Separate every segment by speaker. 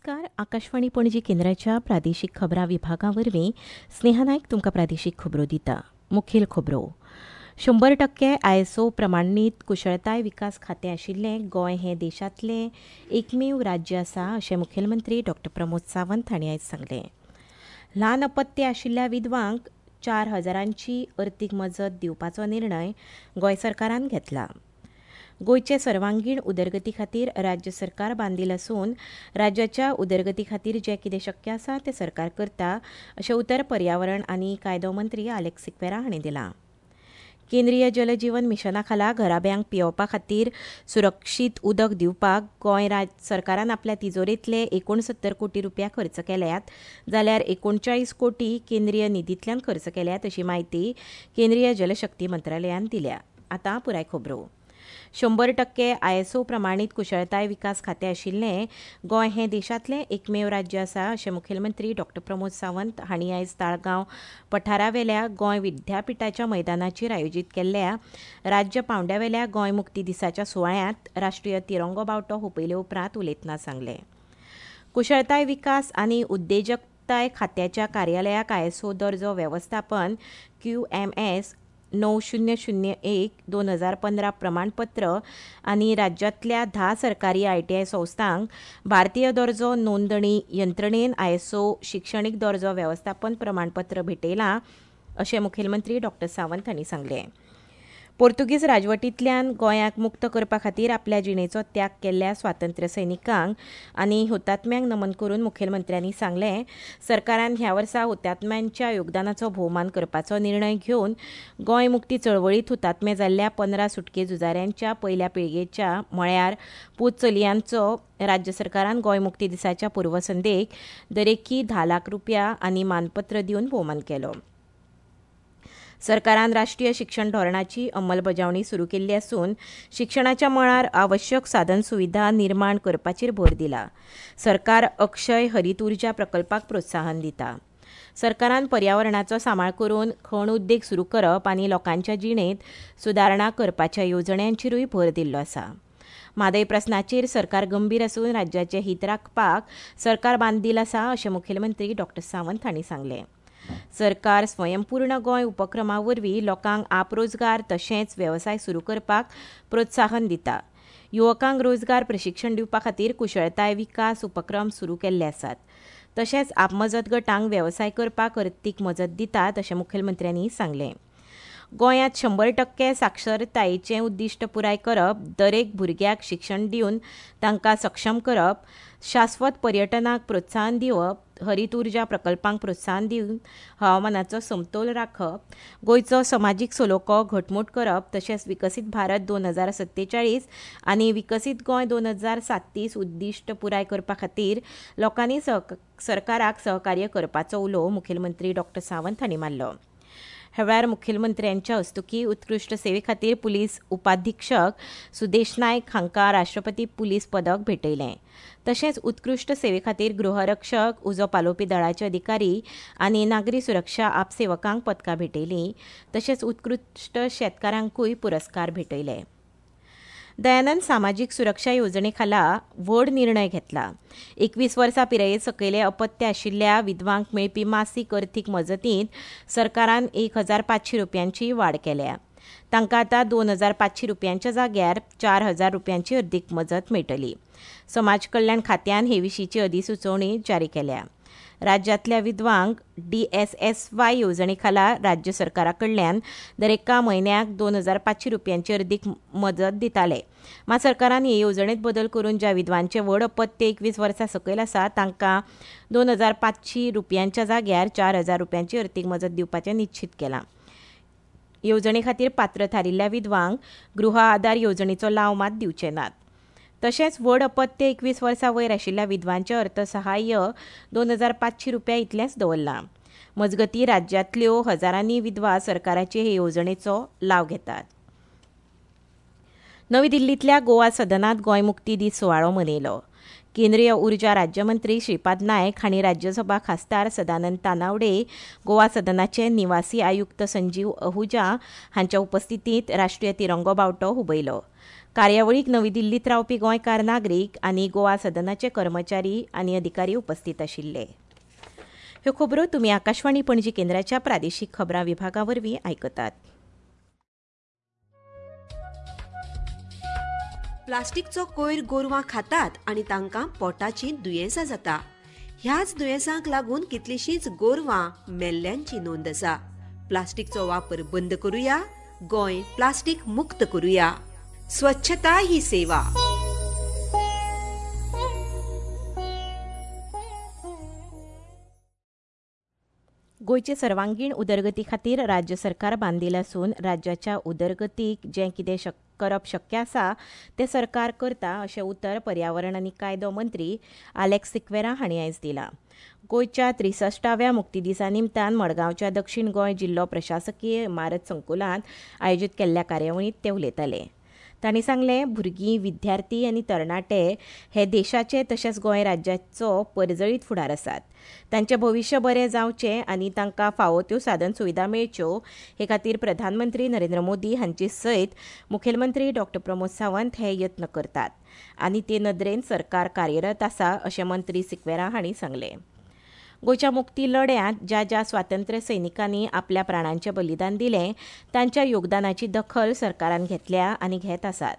Speaker 1: नमस्कार. आकाशवाणी पणजी केंद्राच्या प्रादेशीक खबरां विभागा वरवीं स्नेहा नायक तुमकां प्रादेशीक खबरो दिता. मुखेल खबरो. 100% आयएसओ प्रमाणीत कुशळताय विकास खातें आशिल्लें गोंय हें देशांतलें एकमेव राज्य आसा अशें मुखेलमंत्री डॉ प्रमोद सावंत हांणी आयज सांगलें. ल्हान अपत्य आशिल्ल्या विधवांक 4,000 अर्थीक मजत दिवपाचो निर्णय गोंय सरकारान घेतला. गोंयचे सर्वांगीण उदरगती खातीर राज्य सरकार बांदील आसून राज्याच्या उदरगती खातीर जें कितें शक्य आसा तें सरकार करता अशें उतर पर्यावरण आनी कायदो मंत्री आलेक्स सिक्वेरा हांणी दिलां. केंद्रीय जल जीवन मिशना खाला घराब्यांक पियेवपा खातीर सुरक्षीत उदक दिवपाक गोंय सरकारान आपल्या तिजोरेंतले 69 कोटी रुपया खर्च केल्यात, जाल्यार 39 कोटी केंद्रीय निधींतल्यान खर्च केल्यात अशी म्हायती केंद्रीय जलशक्ती मंत्रालयान दिल्या. आतां पुराय खबरो. 100% आयएसओ प्रमाणीत कुशळताय विकास खातें आशिल्लें गोंय हें देशांतलें एकमेव राज्य आसा अशें मुखेलमंत्री डॉ प्रमोद सावंत हांणी आयज ताळगांव पठारावेल्या गोंय विद्यापिठाच्या मैदानाचेर आयोजीत केल्ल्या राज्य पांवड्यावेल्या गोंय मुक्ती दिसाच्या सुवाळ्यांत राष्ट्रीय तिरंगो बावटो हुपयले उपरांत उलयतना सांगलें. कुशळताय विकास आनी उद्देजकताय खात्याच्या कार्यालयाक आयएसओ दर्जो वेवस्थापन QMS 9001/2015 प्रमाणपत्र आनी राज्यांतल्या 10 सरकारी आयटीआय संस्थांक भारतीय दर्जो नोंदणी यंत्रणेन आयएसओ शिक्षणीक दर्जो वेवस्थापन प्रमाणपत्र भेटयलां अशें मुखेलमंत्री डॉ सावंत हांणी सांगलें. पोर्तुगीज राजवटींतल्यान गोंयाक मुक्त करपा खातीर आपल्या जिणेचो त्याग केल्ल्या स्वातंत्र्य सैनिकांक आनी हुतात्म्यांक नमन करून मुखेलमंत्र्यांनी सांगलें, सरकारान ह्या वर्सा हुतात्म्यांच्या योगदानाचो भोवमान करपाचो निर्णय घेवन गोंय मुक्ती चळवळींत हुतात्मे जाल्ल्या 15 सुटके झुजाऱ्यांच्या पयल्या पिळगेच्या म्हळ्यार पूत चलयांचो राज्य सरकारान गोंय मुक्ती दिसाच्या पूर्वसंध्येक दरेकी 10 लाख रुपया आनी मानपत्र दिवन भोवमान केलो. सरकारान राष्ट्रीय शिक्षण धोरणाची अंमलबजावणी सुरू केल्ली आसून शिक्षणाच्या मळार आवश्यक साधन सुविधा निर्माण करपाचेर भर दिला. सरकार अक्षय हरीत उर्जा प्रकल्पाक प्रोत्साहन दिता. सरकारान पर्यावरणाचो सांबाळ करून खण उद्देग सुरू करप आनी लोकांच्या जिणेंत सुदारणा करपाच्या येवजण्यांचेरूय भर दिल्लो आसा. म्हादय प्रस्नाचेर सरकार गंभीर आसून राज्याचें हित राखपाक सरकार बांदील आसा अशें मुखेलमंत्री डॉ सावंत हांणी सांगलें. सरकार स्वयंपूर्ण गोंय उपक्रमा वरवीं लोकांक आपरोजगार तशेंच वेवसाय सुरू करपाक प्रोत्साहन दिता. युवकांक रोजगार प्रशिक्षण दिवपा खातीर कुशळताय विकास उपक्रम सुरू केल्ले आसात. तशेंच आपमजत गटांक वेवसाय करपाक अर्थीक मजत दितात अशें मुखेलमंत्र्यांनी सांगलें. गोंयांत 100% साक्षरतायेचें उद्दिश्ट पुराय करप, दरेक भुरग्याक शिक्षण दिवन तांकां सक्षम करप, शाश्वत पर्यटनाक प्रोत्साहन दिवप, हरीत उर्जा प्रकल्पांक प्रोत्साहन दिवन हवामानाचो समतोल राखप, गोंयचो समाजीक सलोखो घटमूट करप तशेंच विकसीत भारत 2047 आनी विकसीत गोंय 2037 उद्दिश्ट पुराय करपा खातीर लोकांनी सरकाराक सहकार्य करपाचो उलो मुखेलमंत्री डॉ सावंत हांणी मारलो. ह्या वेळार मुखेलमंत्र्यांच्या हस्तुकीं उत्कृश्ट सेवे खातीर पुलीस उपाधीक्षक सुदेश नायक हांकां राष्ट्रपती पुलीस पदक भेटयलें. तशेंच उत्कृश्ट सेवे खातीर गृहरक्षक, उजो पालोवपी दळाचे अधिकारी आनी नागरी सुरक्षा आपसेवकांक पदकां भेटयलीं. तशेंच उत्कृश्ट शेतकारांकूय पुरस्कार भेटयले. दयानंद सामाजीक सुरक्षा येवजणे खाला व्हड निर्णय घेतला. 21 वर्सां पिराये सकयले अपत्य आशिल्ल्या विधवांक मेळपी मासीक अर्थीक मजतींत सरकारान 1,500 रुपयांची वाड केल्या. तांकां आतां 2,500 रुपयांच्या जाग्यार 4,000 रुपयांची अर्थीक मजत मेळटली. समाज कल्याण खात्यान हे विशींची अधिसुचोवणी जारी केल्या. राज्यांतल्या विधवांक DSSY येवजणे खाला राज्य सरकारा कडल्यान दरेका म्हयन्याक 2,500 रुपयांची अर्दीक मजत दिताले. मात सरकारान हे येवजणेंत बदल करून ज्या विधवांचें व्हड अपत्य 21 वर्सां सकयल आसा तांकां 2,500 रुपयांच्या जाग्यार 4,000 रुपयांची अर्थीक मजत दिवपाचें निश्चीत केलां. येवजणे खातीर पात्र थारिल्ल्या विधवांक गृह आदार येवजणेचो लाव मात दिवचे नात. तशेंच व्हड अपत्य 21 वर्सां वयर आशिल्ल्या विधवांचें अर्थसहाय्य 2,500 रुपया इतलेंच दवरलां. मजगतीं राज्यांतल्यो हजारांनी विधवा सरकाराचे हे येवजणेचो लाव घेतात. नवी दिल्लींतल्या गोवा सदनांत गोंय मुक्ती दीस सुवाळो मनयलो. केंद्रीय उर्जा राज्यमंत्री श्रीपाद नायक हांणी राज्यसभा खासदार सदानंद तानावडे, गोवा सदनाचे निवासी आयुक्त संजीव अहुजा हांच्या उपस्थितींत राष्ट्रीय तिरंगो बावटो हुबयलो. कार्यावळीक नवी दिल्लीत रावपी गोंयकार नागरीक आनी गोवा सदनाचे कर्मचारी आनी अधिकारी उपस्थित आशिल्ले. ह्यो खबरो तुमी आकाशवाणी पणजी केंद्राच्या प्रादेशीक खबरां विभागा वरवीं आयकतात.
Speaker 2: प्लास्टिकचो कोयर गोरवां खातात आनी तांकां पोटाची दुयेंसां जाता. ह्याच दुयेंसांक लागून कितलीशींच गोरवां मेल्ल्यांची नोंद आसा. प्लास्टिकचो वापर बंद करुया, गोंय प्लास्टिक मुक्त करुया. स्वच्छता ही सेवा.
Speaker 1: गोंयचे सर्वांगीण उदरगती खातीर राज्य सरकार बांदील आसून राज्याच्या उदरगतीक जें कितें करप शक्य आसा तें सरकार करता अशें उतर पर्यावरण आनी कायदो मंत्री आलेक्स सिक्वेरा हांणी आयज दिलां. गोंयच्या 63व्या मुक्ती दिसा निमतान मडगांवच्या दक्षिण गोंय जिल्लो प्रशासकीय इमारत संकुलांत आयोजीत केल्ल्या कार्यावळींत ते उलयताले. तांणी सांगलें, भुरगीं, विद्यार्थी आनी तरणाटे हे देशाचे तशेंच गोंय राज्याचो परजळीत फुडार आसात. तांचें भविश्य बरें जावचें आनी तांकां फावो त्यो साधन सुविधा मेळच्यो हे खातीर प्रधानमंत्री नरेंद्र मोदी हांचे सयत मुखेलमंत्री डॉ प्रमोद सावंत हे यत्न करतात आनी ते नदरेन सरकार कार्यरत आसा अशें मंत्री सिक्वेरा हांणी सांगलें. गोंयच्या मुक्ती लढ्यांत ज्या ज्या स्वातंत्र्य सैनिकांनी आपल्या प्राणांचें बलिदान दिलें तांच्या योगदानाची दखल सरकारान घेतल्या आनी घेत आसात.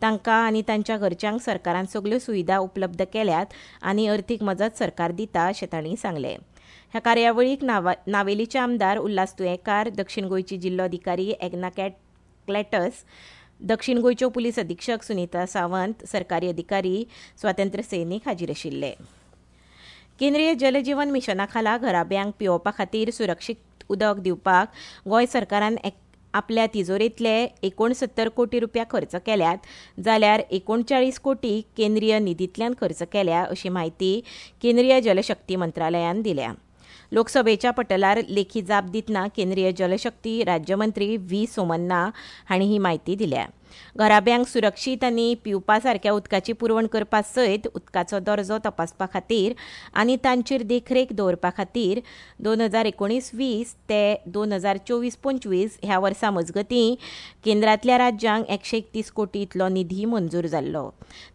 Speaker 1: तांकां आनी तांच्या घरच्यांक सरकारान सगल्यो सुविधा उपलब्ध केल्यात आनी अर्थीक मजत सरकार दिता अशें तांणी सांगलें. ह्या कार्यावळीक नावेलीचे आमदार उल्हास तुयेंकार, दक्षिण गोंयची जिल्लोधिकारी एग्ना क्लॅटस, दक्षिण गोंयच्यो पुलीस अधिक्षक सुनीता सावंत, सरकारी अधिकारी, स्वातंत्र्य सैनीक हाजीर आशिल्ले. केंद्रीय जलजीवन मिशना खाला घराब्यांक पिवोवपा खातीर सुरक्षीत उदक दिवपाक गोंय सरकारान आपल्या तिजोरेंतले 69 कोटी रुपया खर्च केल्यात, जाल्यार 39 कोटी केंद्रीय निधींतल्यान खर्च केल्या अशी म्हायती केंद्रीय जलशक्ती मंत्रालयान दिल्या. लोकसभेच्या पटलार लेखी जाप दितना केंद्रीय जलशक्ती राज्यमंत्री व्ही सोमन्ना हांणी ही म्हायती दिल्या. घराब्यांक सुरक्षीत आनी पिवपा सारक्या उदकाची पुरवण करपा सयत उदकाचो दर्जो तपासपा खातीर आनी तांचेर देखरेख दवरपा खातीर 2019-20 ते 2024-25 ह्या वर्सा मजगतीं केंद्रांतल्या राज्यांक 131 कोटी इतलो निधी मंजूर जाल्लो.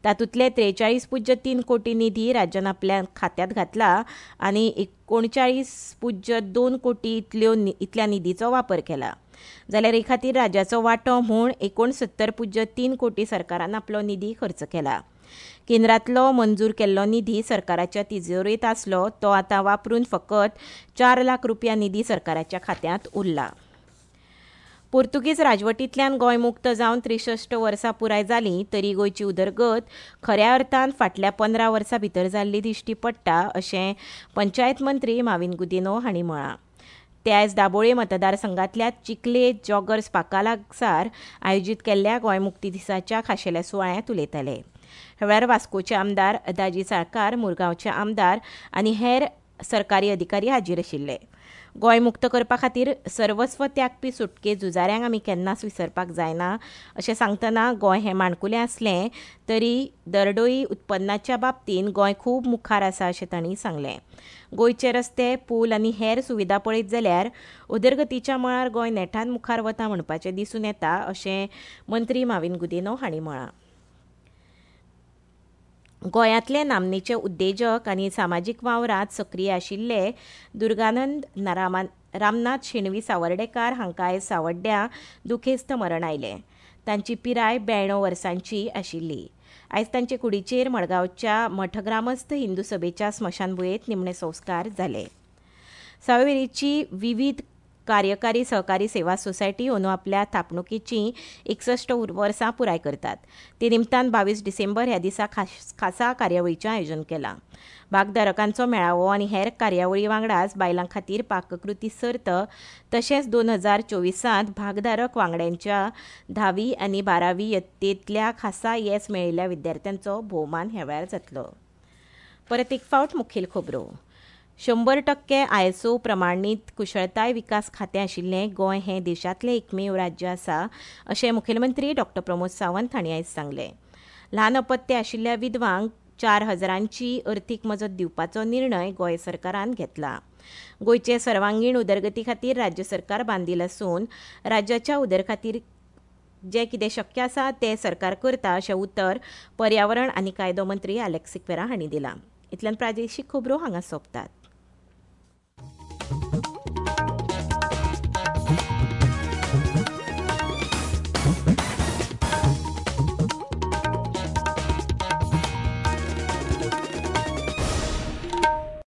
Speaker 1: तातूंतले 43.3 कोटी निधी राज्यान आपल्या खात्यांत घातला आनी 39.2 कोटी इतल्या निधीचो वापर केला. जाल्यार हे खातीर राज्याचो वांटो म्हूण 69.3 कोटी सरकारान आपलो निधी खर्च केला. केंद्रांतलो मंजूर केल्लो निधी सरकाराच्या तिजोरेंत आसलो तो आतां वापरून फकत 4 लाख रुपया निधी सरकाराच्या खात्यांत उरला. पोर्तुगीज राजवटींतल्यान गोंय मुक्त जावन 63 वर्सां पुराय जालीं तरी गोंयची उदरगत खऱ्या अर्थान फाटल्या 15 वर्सां भितर जाल्ली दिश्टी पडटा अशें पंचायत मंत्री माविन गुदिन्हो हांणी म्हळां. ते आयज दाबोळे मतदारसंघांतल्या चिखले जॉगर्स पार्का लागसार आयोजीत केल्ल्या गोंय मुक्ती दिसाच्या खाशेल्या सुवाळ्यांत उलयताले. ह्या वेळार वास्कोचे आमदार दाजी साळकार, मुरगांवचे आमदार आनी हेर सरकारी अधिकारी हाजीर आशिल्ले. गोंय मुक्त करपा खातीर सर्वस्व त्यागपी सुटके झुजाऱ्यांक आमी केन्नाच विसरपाक जायना अशें सांगतना गोंय हें माणकुलें आसलें तरी दरडोई उत्पन्नाच्या बाबतींत गोंय खूब मुखार आसा अशें तांणी सांगलें. गोंयचे रस्ते, पूल आनी हेर सुविधा पळयत जाल्यार उदरगतीच्या मळार गोंय नेटान मुखार वता म्हणपाचें दिसून येता अशें मंत्री माविन गुदिन्हो हांणी म्हळां. गोंयांतले नामनेचे उद्देजक आनी सामाजीक वावरांत सक्रीय आशिल्ले दुर्गानंद रामनाथ शेणवी सावर्डेकार हांकां आयज सावड्ड्यां दुखेस्त मरण आयलें. तांची पिराय 92 वर्सांची आशिल्ली. आयज तांचे कुडीचेर मडगांवच्या मठग्रामस्थ हिंदू सभेच्या स्मशानभुंयेंत निमणे संस्कार जाले. सावयवेरेची विवीध कार्यकारी सहकारी सेवा सोसायटी अंदू आपल्या थापणुकेची 61 वर्सां पुराय करतात. ते निमतान 22 डिसेंबर ह्या दिसा खासा कार्यावळीचें आयोजन केलां. भागधारकांचो मेळावो आनी हेर कार्यावळी वांगडाच बायलां खातीर पाककृती सर्त तशेंच 2024 भागधारक वांगड्यांच्या 10वी आनी 12वी यत्तेंतल्या खासा येस मेळिल्ल्या विद्यार्थ्यांचो भोवमान ह्या वेळार जातलो. परत एक फावट मुखेल खबरो. 100% ISO प्रमाणीत कुशळताय विकास खातें आशिल्लें गोंय हें देशांतलें एकमेव राज्य आसा अशें मुखेलमंत्री डॉ प्रमोद सावंत हांणी आयज सांगलें. ल्हान अपत्य आशिल्ल्या विधवांक 4,000 अर्थीक मजत दिवपाचो निर्णय गोंय सरकारान घेतला. गोंयचे सर्वांगीण उदरगती खातीर राज्य सरकार बांदील आसून राज्याच्या जें कितें शक्य आसा तें सरकार करता अशें उतर पर्यावरण आनी कायदो मंत्री आलेक्स सिक्वेरा हांणी दिलां. इतल्यान प्रादेशीक खबरो हांगा सोंपतात.